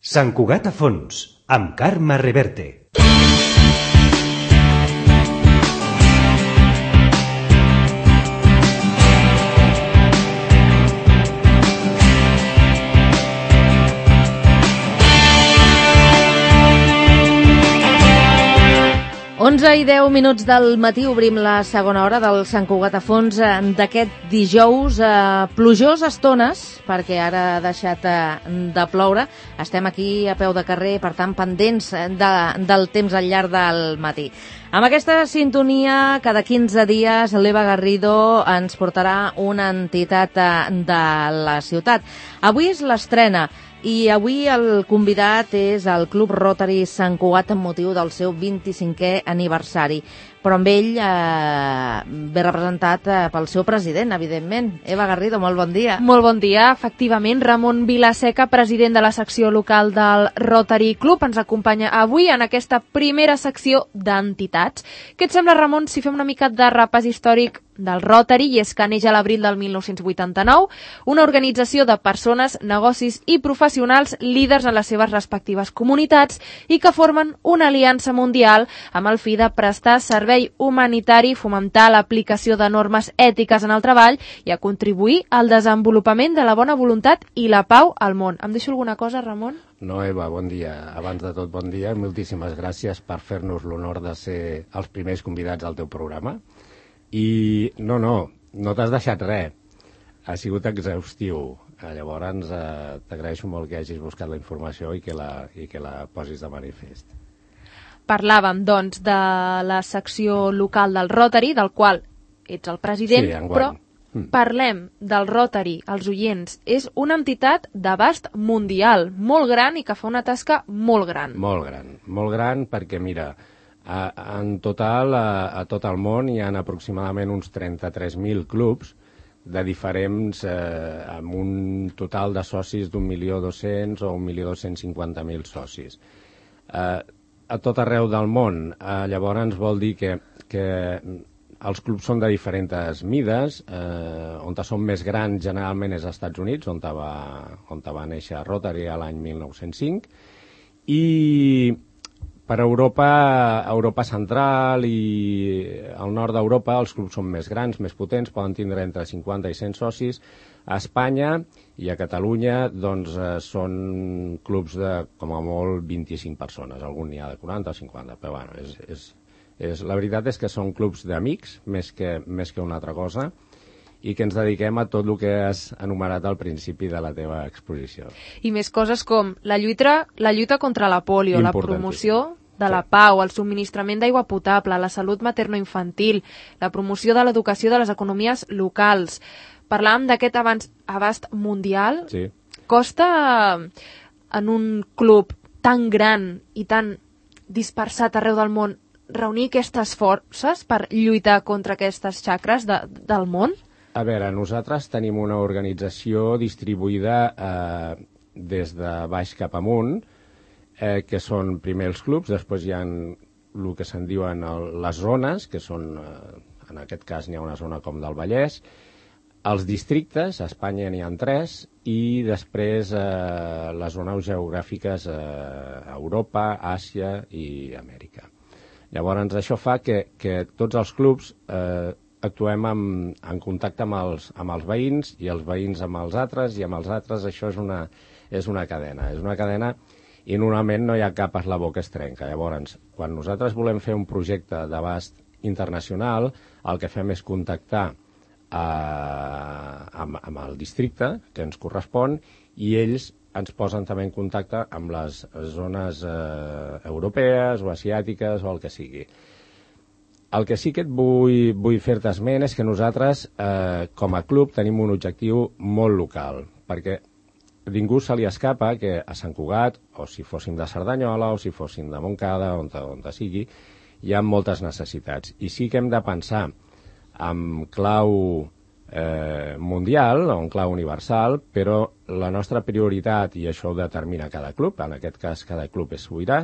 Sant Cugat a fons, amb Carme Reverte. Onze i 10 minuts del matí obrim la segona hora del Sant Cugat a fons d'aquest dijous, plujós estones, perquè ara ha deixat de ploure. Estem aquí a peu de carrer, per tant, pendents del temps al llarg del matí. Amb aquesta sintonia, cada 15 dies, l'Eva Garrido ens portarà una entitat de la ciutat. Avui és l'estrena. I avui el convidat és el Club Rotary Sant Cugat amb motiu del seu 25è aniversari. Però amb ell ve representat pel seu president, evidentment. Eva Garrido, molt bon dia. Molt bon dia. Efectivament, Ramon Vilaseca, president de la secció local del Rotary Club, ens acompanya avui en aquesta primera secció d'entitats. Què et sembla, Ramon, si fem una mica de repàs històric del Rotary? I és que neix a l'abril del 1989, una organització de persones, negocis i professionals líders en les seves respectives comunitats i que formen una aliança mundial amb el fi de prestar servei humanitari, fomentar l'aplicació de normes ètiques en el treball i a contribuir al desenvolupament de la bona voluntat i la pau al món. Em deixo alguna cosa, Ramon? No, Eva, bon dia. Abans de tot, bon dia. Moltíssimes gràcies per fer-nos l'honor de ser els primers convidats al teu programa. I no t'has deixat res. Ha sigut exhaustiu. Llavors, t'agraeixo molt que hagis buscat la informació i que la posis de manifest. Parlàvem, doncs, de la secció local del Rotary, del qual ets el president, sí, però parlem del Rotary, els oients. És una entitat d'abast mundial, molt gran i que fa una tasca molt gran. Molt gran perquè, mira, en total, a tot el món hi ha aproximadament uns 33.000 clubs de diferents, amb un total de socis d'1.200.000 o 1.250.000 socis. A tot arreu del món, llavors vol dir que els clubs són de diferents mides, on són més grans generalment és als Estats Units, on va néixer Rotary l'any 1905, i per Europa central i al nord d'Europa els clubs són més grans, més potents, poden tindre entre 50 i 100 socis. A Espanya i a Catalunya doncs, són clubs de, com a molt, 25 persones. Algun n'hi ha de 40 o 50, però bueno, la veritat és que són clubs d'amics, més que una altra cosa, i que ens dediquem a tot el que has enumerat al principi de la teva exposició. I més coses com la lluita contra la pòlio, la promoció de la pau, el subministrament d'aigua potable, la salut materno-infantil, la promoció de l'educació de les economies locals. Parlàvem d'aquest abast mundial. Sí. Costa en un club tan gran i tan dispersat arreu del món reunir aquestes forces per lluitar contra aquestes xacres del món? A veure, nosaltres tenim una organització distribuïda des de baix cap amunt, que són primer els clubs, després hi ha el que se'n diuen les zones, que són, en aquest cas n'hi ha una zona com del Vallès, els districtes, a Espanya n'hi ha 3, i després les zones geogràfiques a Europa, Àsia i Amèrica. Llavors, això fa que tots els clubs actuem en contacte amb els veïns i els veïns amb els altres i amb els altres. Això és una cadena. És una cadena i normalment no hi ha cap eslabó que es trenca. Llavors, quan nosaltres volem fer un projecte d'abast internacional, el que fem és contactar amb el districte que ens correspon i ells ens posen també en contacte amb les zones europees o asiàtiques o el que sigui. El que sí que et vull fer-te esment és que nosaltres, com a club, tenim un objectiu molt local, perquè a ningú se li escapa que a Sant Cugat, o si fóssim de Cerdanyola, o si fóssim de Montcada, on sigui, hi ha moltes necessitats. I sí que hem de pensar en clau mundial o en clau universal, però la nostra prioritat, i això ho determina cada club, en aquest cas cada club és sobirà,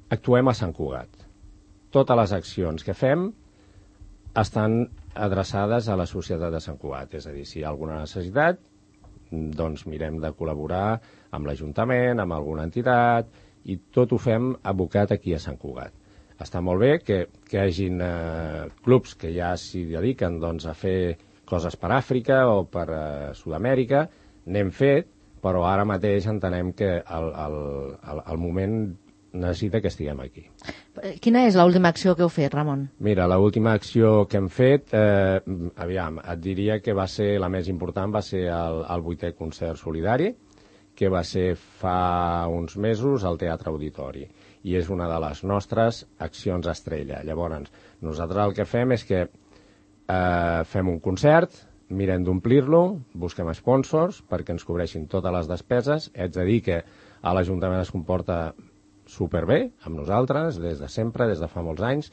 actuem a Sant Cugat. Totes les accions que fem estan adreçades a la societat de Sant Cugat, és a dir, si hi ha alguna necessitat, doncs mirem de col·laborar amb l'Ajuntament, amb alguna entitat, i tot ho fem abocat aquí a Sant Cugat. Està molt bé que hi hagin clubs que ja s'hi dediquen doncs, a fer coses per Àfrica o per Sud-amèrica, n'hem fet, però ara mateix entenem que el moment necessita que estiguem aquí. Quina és l'última acció que heu fet, Ramon? Mira, l'última acció que hem fet, aviam, et diria que va ser la més important, va ser el 8è concert solidari, que va ser fa uns mesos al Teatre Auditori, i és una de les nostres accions estrella. Llavors, nosaltres el que fem és que fem un concert, mirem d'omplir-lo, busquem sponsors perquè ens cobreixin totes les despeses. Haig de dir que a l'Ajuntament es comporta superbé amb nosaltres, des de sempre, des de fa molts anys,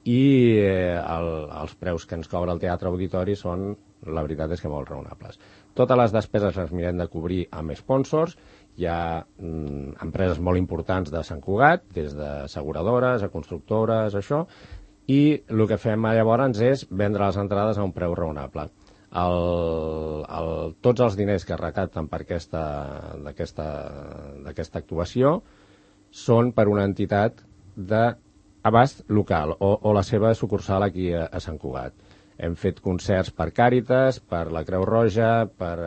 i els preus que ens cobra el Teatre Auditori són, la veritat és que molt raonables. Totes les despeses les mirem de cobrir amb sponsors. Hi ha empreses molt importants de Sant Cugat, des d'asseguradores a constructores, això, i el que fem llavors és vendre les entrades a un preu raonable. Tots els diners que es recapten per d'aquesta actuació són per una entitat d'abast local o la seva sucursal aquí a Sant Cugat. Hem fet concerts per Càritas, per la Creu Roja, per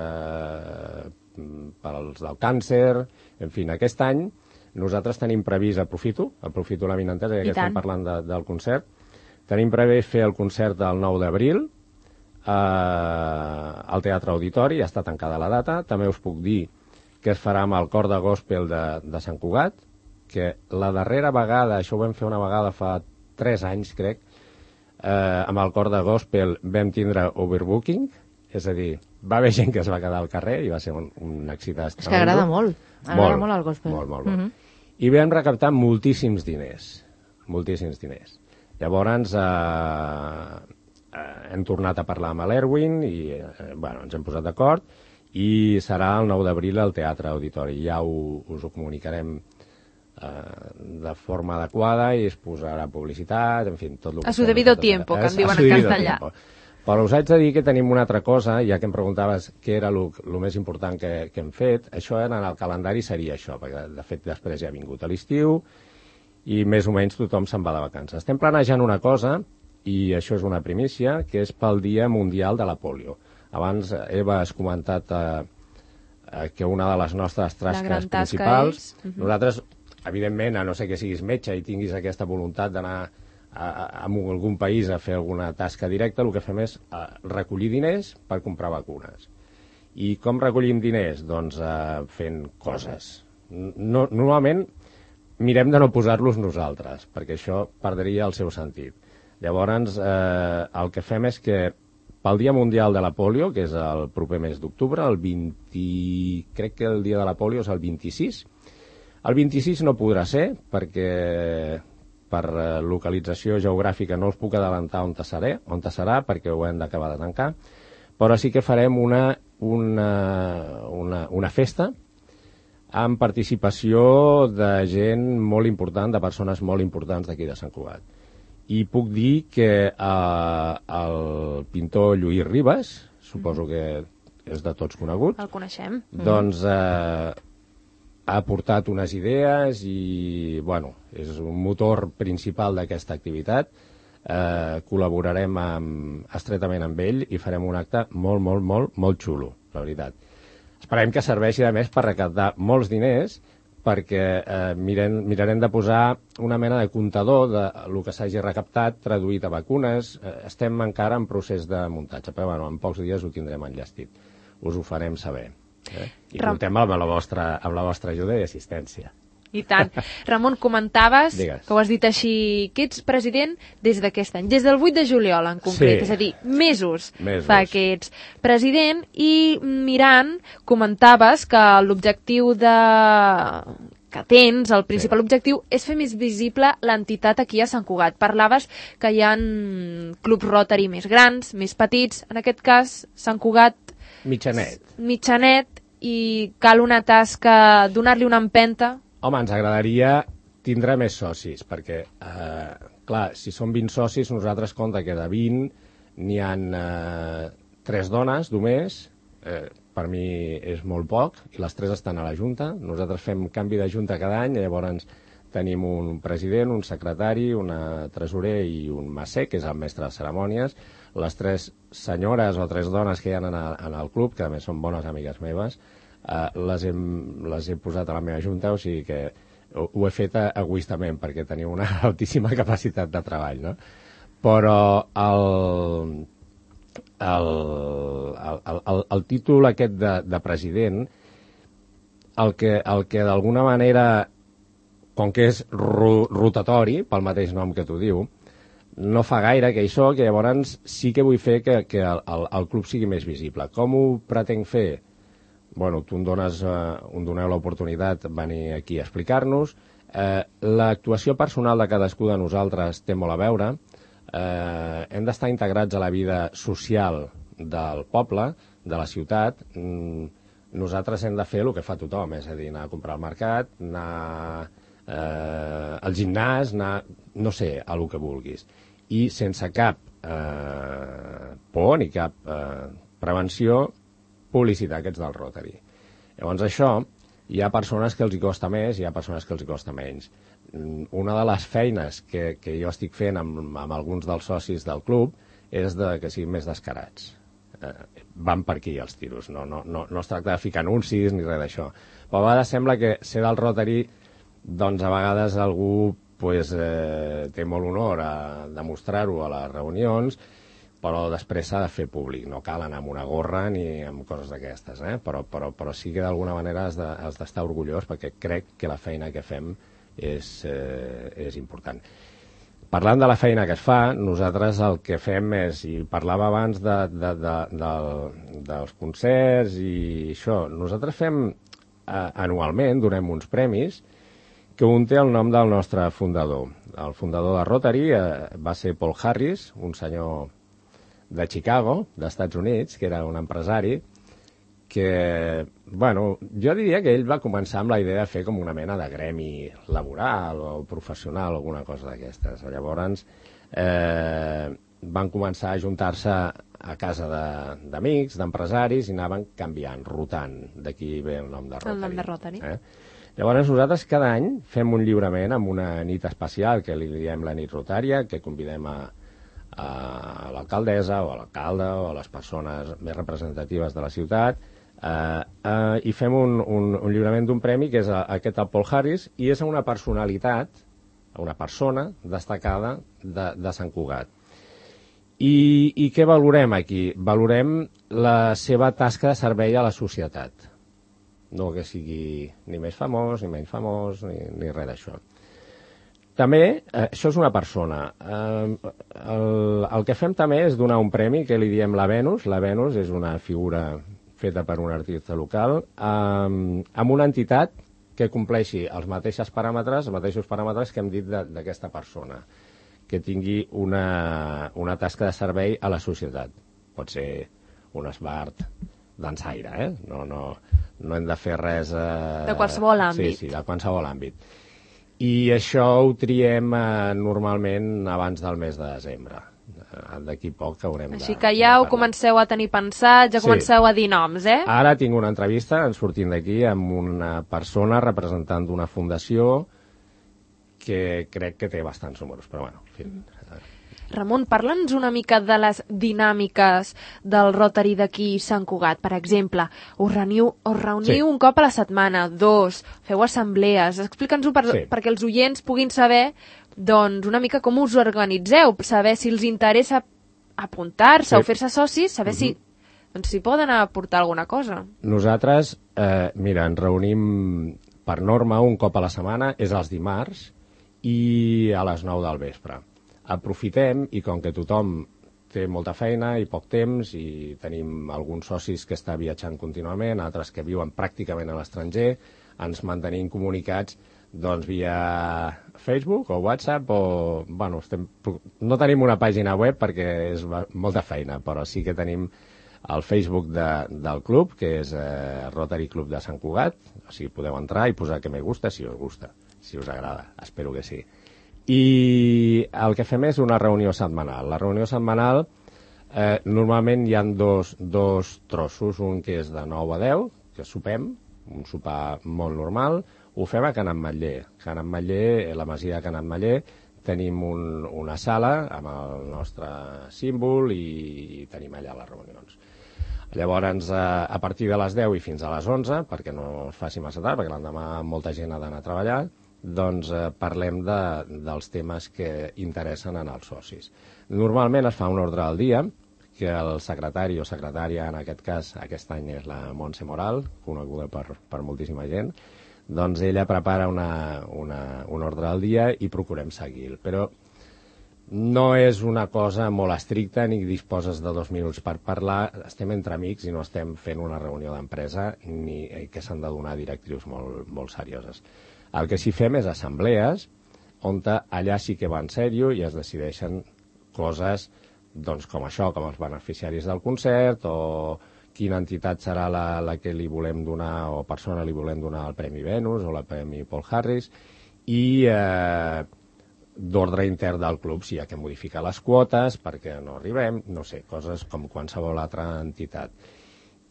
als del càncer. En fi, aquest any nosaltres tenim previst, aprofito l'avinentesa, ja que estem parlant del concert, tenim previst fer el concert del 9 d'abril al Teatre Auditori, ja està tancada la data. També us puc dir que es farà amb el cor de gospel de Sant Cugat, que la darrera vegada, això ho vam fer una vegada fa 3 anys, crec, amb el cor de gospel vam tindre overbooking, és a dir, va haver gent que es va quedar al carrer i va ser un accident. És que agrada molt, molt el gospel. Molt. I vam recaptar moltíssims diners. Llavors hem tornat a parlar amb l'Erwin i ens hem posat d'acord i serà el 9 d'abril al Teatre Auditori. Ja us ho comunicarem de forma adequada i es posarà publicitat, en fi, tot el que... A su debido tiempo, que en diuen en castellà. Però us haig de dir que tenim una altra cosa, ja que em preguntaves què era el més important que hem fet. Això en el calendari seria això, perquè de fet després ja ha vingut a l'estiu i més o menys tothom se'n va de vacances. Estem planejant una cosa, i això és una primícia, que és pel Dia Mundial de la Polio. Abans, Eva, has comentat que una de les nostres tasques principals... Nosaltres, evidentment, a no ser que siguis metge i tinguis aquesta voluntat d'anar a algun país a fer alguna tasca directa, el que fem és recollir diners per comprar vacunes. I com recollim diners? Doncs fent coses. Normalment mirem de no posar-los nosaltres, perquè això perdria el seu sentit. Llavors, el que fem és que pel Dia Mundial de la Polio, que és el proper mes d'octubre, crec que el dia de la polio és el 26. El 26 no podrà ser, perquè per localització geogràfica no us puc adelantar on serà, perquè ho hem d'acabar de tancar, però sí que farem una festa amb participació de gent molt important, de persones molt importants d'aquí de Sant Cugat. I puc dir que el pintor Lluís Ribas, suposo que és de tots conegut, el coneixem, doncs ha aportat unes idees i, és un motor principal d'aquesta activitat. Col·laborarem estretament amb ell i farem un acte molt xulo, la veritat. Esperem que serveixi, a més, per recaptar molts diners, perquè mirarem de posar una mena de comptador del que s'hagi recaptat traduït a vacunes. Estem encara en procés de muntatge, però en pocs dies ho tindrem enllestit. Us ho farem saber. I comptem amb la vostra ajuda i assistència. I tant. Ramon, comentaves, Digues. que ho has dit així, que ets president des d'aquest any, des del 8 de juliol en concret, és a dir, mesos fa que ets president, i mirant, comentaves que l'objectiu que tens, el principal objectiu, és fer més visible l'entitat aquí a Sant Cugat. Parlaves que hi ha clubs Rotary més grans, més petits, en aquest cas Sant Cugat mitjanet, i cal una tasca, donar-li una empenta. Home, ens agradaria tindre més socis, perquè, clar, si són 20 socis, nosaltres compta que de 20 n'hi ha 3 dones només, per mi és molt poc, i les 3 estan a la Junta. Nosaltres fem canvi de Junta cada any, llavors tenim un president, un secretari, una tresorer i un macer, que és el mestre de cerimònies. Les 3 senyores o 3 dones que hi ha en el club, que a més són bones amigues meves, les he posat a la meva Junta, o sigui que ho he fet egoistament, perquè teniu una altíssima capacitat de treball, no? Però el títol aquest de president, el que d'alguna manera, com que és rotatori, pel mateix nom que t'ho diu, no fa gaire que hi soc, i llavors sí que vull fer que el club sigui més visible. Com ho pretenc fer? Bueno, tu em doneu l'oportunitat de venir aquí a explicar-nos. L'actuació personal de cadascú de nosaltres té molt a veure. Hem d'estar integrats a la vida social del poble, de la ciutat. Nosaltres hem de fer el que fa tothom, és a dir, anar a comprar al mercat, anar al gimnàs, anar, no sé, a el que vulguis. I sense cap por ni cap prevenció, publicitar aquests del Rotary. Llavors això, hi ha persones que els hi costa més, hi ha persones que els hi costa menys. Una de les feines que jo estic fent amb alguns dels socis del club és que siguin més descarats. Van per aquí els tiros, no es tracta de ficar anuncis ni res d'això. Però a vegades sembla que ser del Rotary, doncs a vegades algú té molt honor a demostrar-ho a les reunions, però després s'ha de fer públic, no cal anar amb una gorra ni amb coses d'aquestes, però sí que d'alguna manera has d'estar orgullós, perquè crec que la feina que fem és important. Parlant de la feina que es fa, nosaltres el que fem és, i parlava abans dels concerts i això, nosaltres fem anualment, donem uns premis, que un té el nom del nostre fundador. El fundador de Rotary va ser Paul Harris, un senyor de Chicago, d'Estats Units, que era un empresari, que, bueno, jo diria que ell va començar amb la idea de fer com una mena de gremi laboral o professional o alguna cosa d'aquestes. Llavors van començar a ajuntar-se a casa d'amics, d'empresaris, i anaven canviant, rotant. D'aquí ve el nom de Rotary. El nom de Rotary. Llavors nosaltres cada any fem un lliurament amb una nit especial que li diem la nit rotària, que convidem a l'alcaldessa o a l'alcalde o a les persones més representatives de la ciutat, i fem un lliurament d'un premi que és aquest al Paul Harris, i és a una personalitat, a una persona destacada de Sant Cugat. I què valorem aquí? Valorem la seva tasca de servei a la societat. No que sigui ni més famós, ni menys famós, ni res d'això. També, això és una persona. El que fem també és donar un premi que li diem la Venus. La Venus és una figura feta per un artista local, amb una entitat que compleixi els mateixos paràmetres que hem dit d'aquesta persona, que tingui una tasca de servei a la societat. Pot ser un esbart dansaire, no hem de fer res... De qualsevol àmbit. Sí, de qualsevol àmbit. I això ho triem normalment abans del mes de desembre. D'aquí poc haurem de... Així que ja ho comenceu a tenir pensat, ja comenceu a dir noms, Ara tinc una entrevista, ens sortim d'aquí, amb una persona representant d'una fundació que crec que té bastants números, però bueno, en fi... Ramon, parla'ns una mica de les dinàmiques del Rotary d'aquí Sant Cugat. Per exemple, us reuniu un cop a la setmana, 2, feu assemblees. Explica'ns-ho perquè els oients puguin saber doncs, una mica com us organitzeu, saber si els interessa apuntar-se o fer-se socis, saber si poden aportar alguna cosa. Nosaltres, mira, ens reunim per norma un cop a la setmana, és els dimarts, i a les 9 del vespre. Aprofitem, i com que tothom té molta feina i poc temps, i tenim alguns socis que estan viatjant contínuament, altres que viuen pràcticament a l'estranger, ens mantenim comunicats doncs via Facebook o WhatsApp, o bueno, no tenim una pàgina web perquè és molta feina, però sí que tenim el Facebook del club, que és Rotary Club de Sant Cugat, o sigui, podeu entrar i posar que me gusta si us gusta, si us agrada, espero que sí. I el que fem és una reunió setmanal. La reunió setmanal Normalment hi ha dos trossos, un que és de 9 a 10, que sopem, un sopar molt normal, ho fem a Can Ametller. Can Ametller, la masia de Can Ametller, tenim una sala amb el nostre símbol i tenim allà les reunions. Llavors, a partir de les 10 i fins a les 11, perquè no es faci massa tard, perquè l'endemà molta gent ha d'anar a treballar, doncs parlem dels temes que interessen als socis. Normalment es fa un ordre del dia, que el secretari o secretària, en aquest cas, aquest any és la Montse Moral, coneguda per moltíssima gent, doncs ella prepara un ordre del dia i procurem seguir-lo. Però no és una cosa molt estricta ni disposes de 2 minuts per parlar, estem entre amics i no estem fent una reunió d'empresa ni que s'han de donar directrius molt serioses. El que sí fem és assemblees on allà sí que va en sèrio i es decideixen coses doncs, com això, com els beneficiaris del concert o quina entitat serà la que li volem donar o persona li volem donar el Premi Venus o el Premi Paul Harris i d'ordre intern del club si hi ha que modificar les quotes perquè no arribem, no sé, coses com qualsevol altra entitat.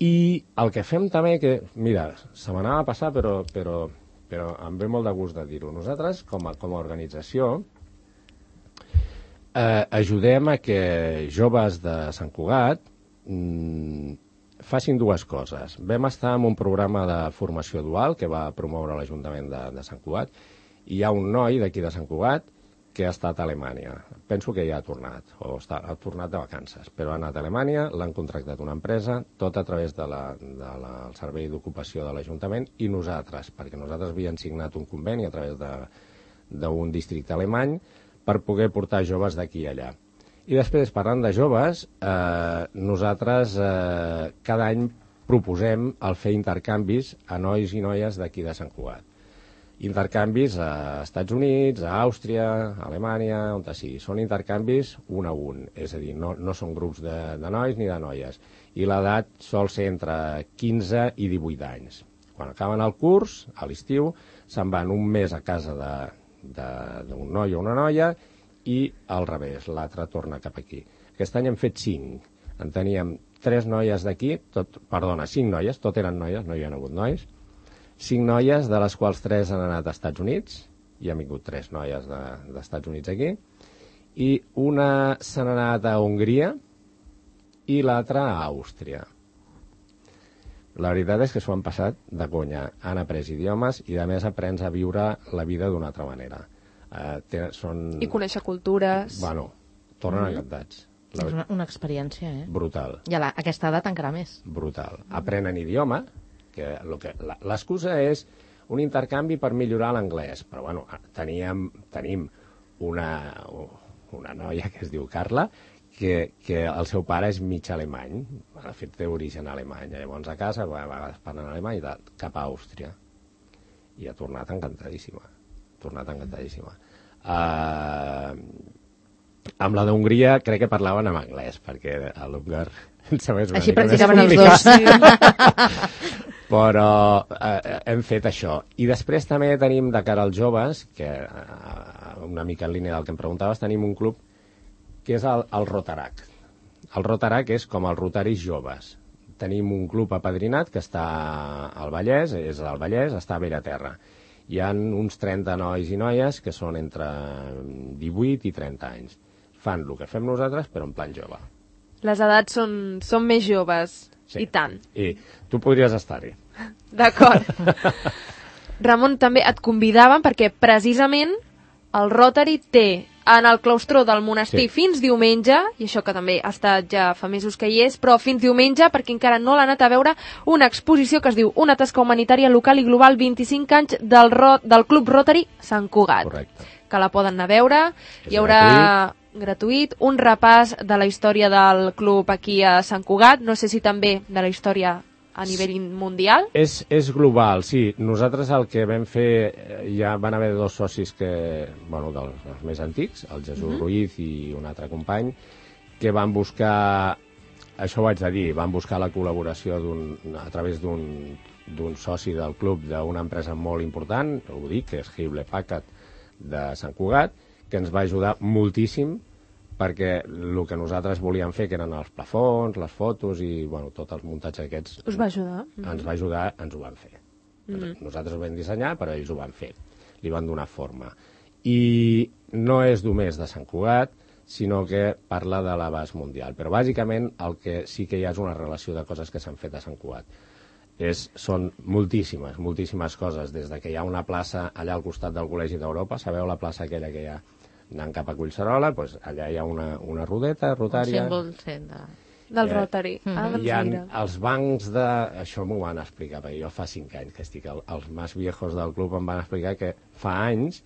I el que fem també, que mira, se m'anava a passar però em ve molt de gust de dir-ho, nosaltres com a organització ajudem a que joves de Sant Cugat facin dues coses. Vam estar en un programa de formació dual que va promoure l'Ajuntament de Sant Cugat i hi ha un noi d'aquí de Sant Cugat que ha estat a Alemanya. Penso que ja ha tornat, o ha tornat de vacances, però ha anat a Alemanya, l'han contractat una empresa, tot a través del Servei d'Ocupació de l'Ajuntament i nosaltres, perquè nosaltres havíem signat un conveni a través d'un districte alemany per poder portar joves d'aquí i allà. I després, parlant de joves, nosaltres cada any proposem el fer intercanvis a nois i noies d'aquí de Sant Cugat. Intercanvis a Estats Units, a Àustria, a Alemanya, on sigui. Són intercanvis un a un, és a dir, no són grups de nois ni de noies. I l'edat sol ser entre 15 i 18 anys. Quan acaben el curs, a l'estiu, se'n van un mes a casa d'un noi o una noia i al revés, l'altre torna cap aquí. Aquest any hem fet 5. En teníem 3 noies d'aquí, 5 noies, tot eren noies, no hi ha hagut nois, 5 noies, de les quals 3 han anat als Estats Units, hi han vingut 3 noies d'Estats Units aquí, i una s'ha anat a Hongria i l'altra a Àustria. La veritat és que s'ho han passat de conya. Han après idiomes i, a més, aprens a viure la vida d'una altra manera. I conèixer cultures. Bueno, tornen encantats. És una experiència, Brutal. I a aquesta edat encara més. Brutal. Aprenen idioma, que l'excusa és un intercanvi per millorar l'anglès. Però, bueno, tenim una noia que es diu Carla, que el seu pare és mig alemany, de fet té origen alemany, llavors a casa a vegades parlen alemany cap a Àustria i ha tornat encantadíssima. Amb la d'Hongria crec que parlaven en anglès perquè a l'húngar així practicaven els dos. Però hem fet això. I després també tenim de cara als joves, que una mica en línia del que em preguntaves, tenim un club que és el Rotarac. El Rotarac és com els rotaris joves. Tenim un club apadrinat que està al Vallès, està a Bellaterra. Hi ha uns 30 nois i noies que són entre 18 i 30 anys. Fan el que fem nosaltres, però en plan jove. Les edats són més joves, sí. I tant. I tu podries estar-hi. D'acord. Ramon, també et convidaven perquè precisament el Rotary té en el claustró del monestir fins diumenge, i això que també ha estat ja fa mesos que hi és, però fins diumenge, perquè encara no l'ha anat a veure, una exposició que es diu Una tasca humanitària local i global 25 anys del Club Rotary Sant Cugat. Correcte. Que la poden anar a veure. Hi haurà gratuït un repàs de la història del club aquí a Sant Cugat, no sé si també de la història a nivell mundial? És global, sí. Nosaltres el que vam fer, ja van haver 2 socis dels més antics, el Jesús Ruiz i un altre company, que van buscar, això ho haig de dir, van buscar la col·laboració a través d'un soci del club d'una empresa molt important, ho dic, que és Hewlett Packard de Sant Cugat, que ens va ajudar moltíssim perquè el que nosaltres volíem fer, que eren els plafons, les fotos i tot el muntatge aquests... Us va ajudar? Ens va ajudar, ens ho van fer. Nosaltres ho vam dissenyar, però ells ho van fer. Li van donar forma. I no és només de Sant Cugat, sinó que parla de l'abast mundial. Però bàsicament el que sí que hi ha és una relació de coses que s'han fet a Sant Cugat. Són moltíssimes coses, des de que hi ha una plaça allà al costat del Col·legi d'Europa, sabeu la plaça aquella que hi ha anant cap a Collserola, doncs allà hi ha una rodeta rotària. Un símbol del Rotary. Hi ha els bancs de... Això m'ho van explicar, perquè jo fa 5 anys que estic... Els més viejos del club em van explicar que fa anys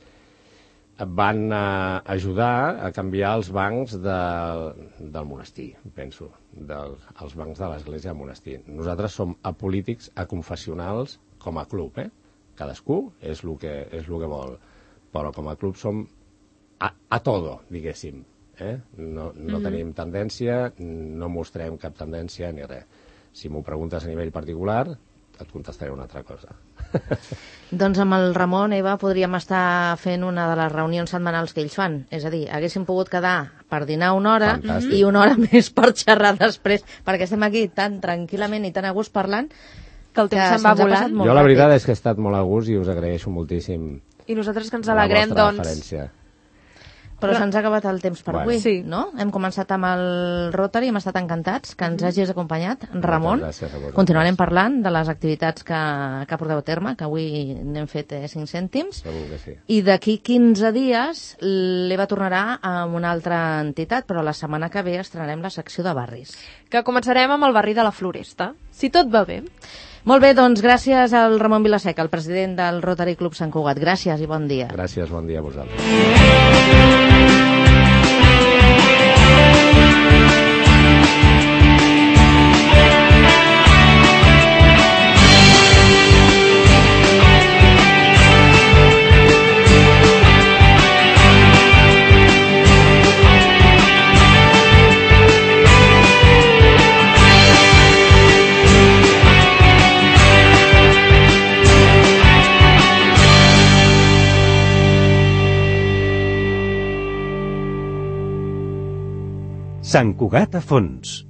van ajudar a canviar els bancs del monestir, penso, els bancs de l'església del monestir. Nosaltres som apolítics, aconfessionals, com a club, Cadascú és el que vol, però com a club som a todo, diguéssim. No tenim tendència, no mostrem cap tendència ni res. Si m'ho preguntes a nivell particular, et contestaré una altra cosa. Doncs amb el Ramon, Eva, podríem estar fent una de les reunions setmanals que ells fan. És a dir, haguéssim pogut quedar per dinar una hora i una hora més per xerrar després, perquè estem aquí tan tranquil·lament i tan a gust parlant que el temps se'n va volant. Jo la veritat és que he estat molt a gust i us agraeixo moltíssim. I nosaltres que ens alegrem, doncs... Referència. Però se'ns ha acabat el temps per avui, sí. No? Hem començat amb el Rotary, hem estat encantats que ens hagis acompanyat, Ramon. Gràcies a vosaltres. Continuarem parlant de les activitats que porteu a terme, que avui n'hem fet 5 cèntims. Segur que sí. I d'aquí 15 dies l'Eva tornarà amb una altra entitat, però la setmana que ve estrenarem la secció de barris. Que començarem amb el barri de la Floresta, si tot va bé. Molt bé, doncs gràcies al Ramon Vilaseca, el president del Rotary Club Sant Cugat. Gràcies i bon dia. Gràcies, bon dia a vosaltres. Sant Cugat a fons.